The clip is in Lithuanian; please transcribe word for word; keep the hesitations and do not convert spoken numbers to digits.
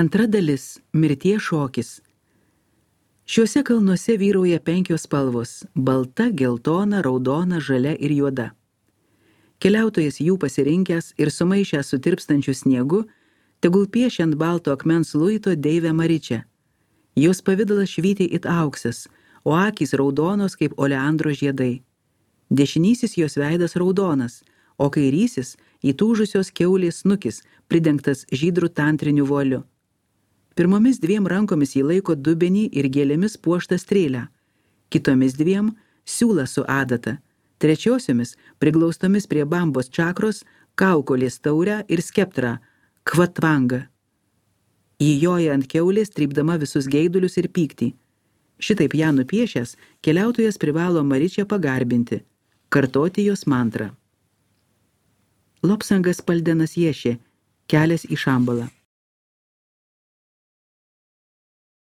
Antra dalis – mirties šokis. Šiuose kalnuose vyrauja penkios spalvos – balta, geltona, raudona, žalia ir juoda. Keliautojas jų pasirinkęs ir sumaišęs su tirpstančiu sniegu, tegul piešia ant balto akmens luito deivę Maričią. Jos pavidalas švyti it auksas, o akys raudonos kaip oleandro žiedai. Dešinysis jos veidas raudonas, o kairysis įtūžusios kiaulės snukis, pridengtas žydrų tantriniu voliu. Pirmomis dviem rankomis jį laiko dubenį ir gėlėmis puoštą strėlę, kitomis dviem siūlą su adata, trečiosiomis priglaustomis prie bambos čakros, kaukolės taurę ir skeptrą, kvatvangą. Jį joja ant kiaulės, trypdama visus geidulius ir pyktį. Šitaip ją nupiešęs, keliautojas privalo Maričią pagarbinti, kartoti jos mantrą. Lopsangas Paldenas Ješė, kelias į Šambalą.